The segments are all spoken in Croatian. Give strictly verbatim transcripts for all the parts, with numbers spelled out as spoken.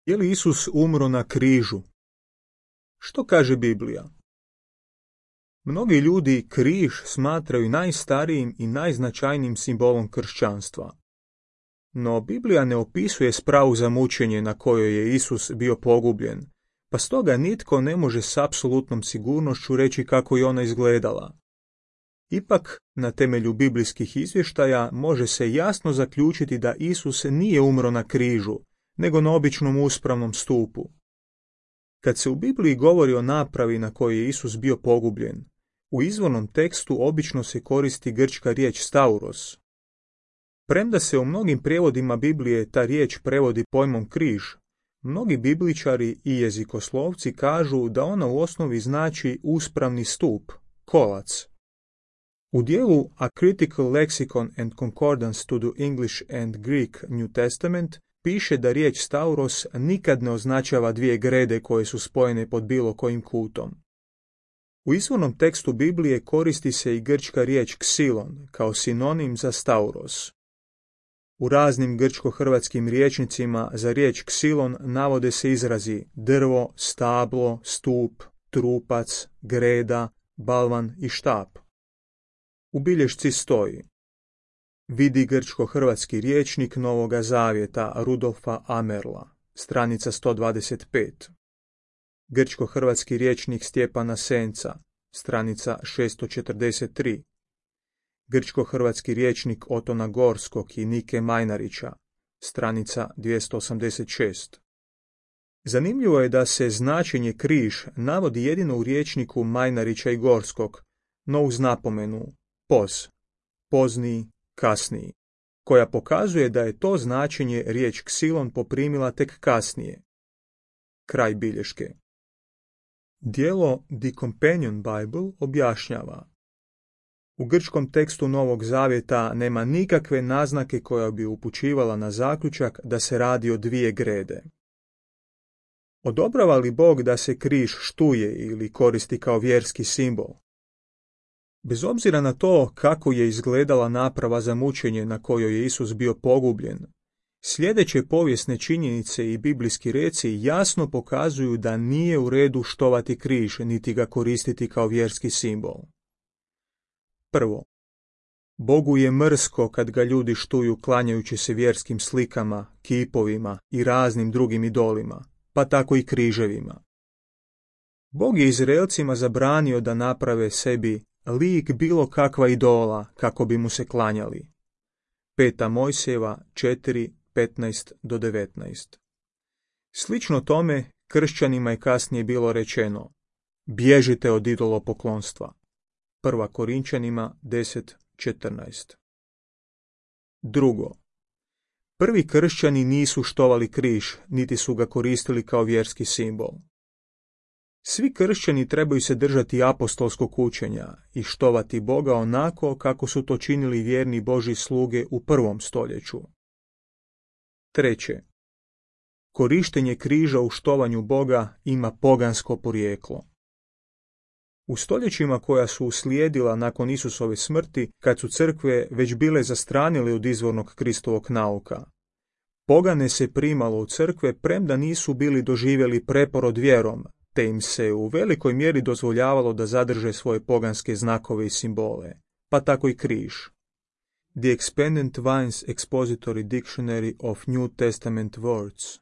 Je li Isus umro na križu? Što kaže Biblija? Mnogi ljudi križ smatraju najstarijim i najznačajnijim simbolom kršćanstva. No Biblija ne opisuje spravu za mučenje na kojoj je Isus bio pogubljen, pa stoga nitko ne može s apsolutnom sigurnošću reći kako je ona izgledala. Ipak, na temelju biblijskih izvještaja može se jasno zaključiti da Isus nije umro na križu, nego na običnom uspravnom stupu. Kad se u Bibliji govori o napravi na kojoj je Isus bio pogubljen, u izvornom tekstu obično se koristi grčka riječ stauros. Premda se u mnogim prijevodima Biblije ta riječ prevodi pojmom križ, mnogi bibličari i jezikoslovci kažu da ona u osnovi znači uspravni stup, kolac. U dijelu A Critical Lexicon and Concordance to the English and Greek New Testament piše da riječ stauros nikad ne označava dvije grede koje su spojene pod bilo kojim kutom. U izvornom tekstu Biblije koristi se i grčka riječ ksilon kao sinonim za stauros. U raznim grčko-hrvatskim rječnicima za riječ ksilon navode se izrazi drvo, stablo, stup, trupac, greda, balvan i štap. U bilješci stoji: vidi grčko-hrvatski rječnik Novoga zavjeta Rudolfa Amerla, stranica sto dvadeset pet. Grčko-hrvatski rječnik Stjepana Senca, stranica šesto četrdeset tri. Grčko-hrvatski rječnik Otona Gorskog i Nike Majnarića, stranica dvjesto osamdeset šest. Zanimljivo je da se značenje križ navodi jedino u rječniku Majnarića i Gorskog, no uz napomenu poz, pozniji, kasniji, koja pokazuje da je to značenje riječ ksilon poprimila tek kasnije. Kraj bilješke. Dijelo The Companion Bible objašnjava: u grčkom tekstu Novog zavjeta nema nikakve naznake koja bi upućivala na zaključak da se radi o dvije grede. Odobrava li Bog da se križ štuje ili koristi kao vjerski simbol? Bez obzira na to kako je izgledala naprava za mučenje na kojoj je Isus bio pogubljen, sljedeće povijesne činjenice i biblijski reci jasno pokazuju da nije u redu štovati križ niti ga koristiti kao vjerski simbol. Prvo, Bogu je mrsko kad ga ljudi štuju klanjajući se vjerskim slikama, kipovima i raznim drugim idolima, pa tako i križevima. Bog je Izraelcima zabranio da naprave sebi lik bilo kakva idola kako bi mu se klanjali. Peta Mojsijeva četiri petnaest do devetnaest. Slično tome kršćanima je kasnije bilo rečeno: bježite od idolopoklonstva. Prva Korinčanima deset četrnaest. Drugo, prvi kršćani nisu štovali križ, niti su ga koristili kao vjerski simbol. Svi kršćani trebaju se držati apostolskog učenja i štovati Boga onako kako su to činili vjerni Božji sluge u prvom stoljeću. Treće, korištenje križa u štovanju Boga ima pogansko porijeklo. U stoljećima koja su uslijedila nakon Isusove smrti, kad su crkve već bile zastranile od izvornog Kristovog nauka, pogane se primalo u crkve premda nisu bili doživjeli preporod vjerom, te im se u velikoj mjeri dozvoljavalo da zadrže svoje poganske znakove i simbole, pa tako i križ. The Expanded Vine's Expository Dictionary of New Testament Words.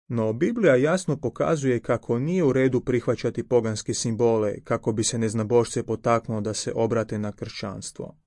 No Biblija jasno pokazuje kako nije u redu prihvaćati poganske simbole kako bi se neznabošce potaknulo da se obrate na kršćanstvo.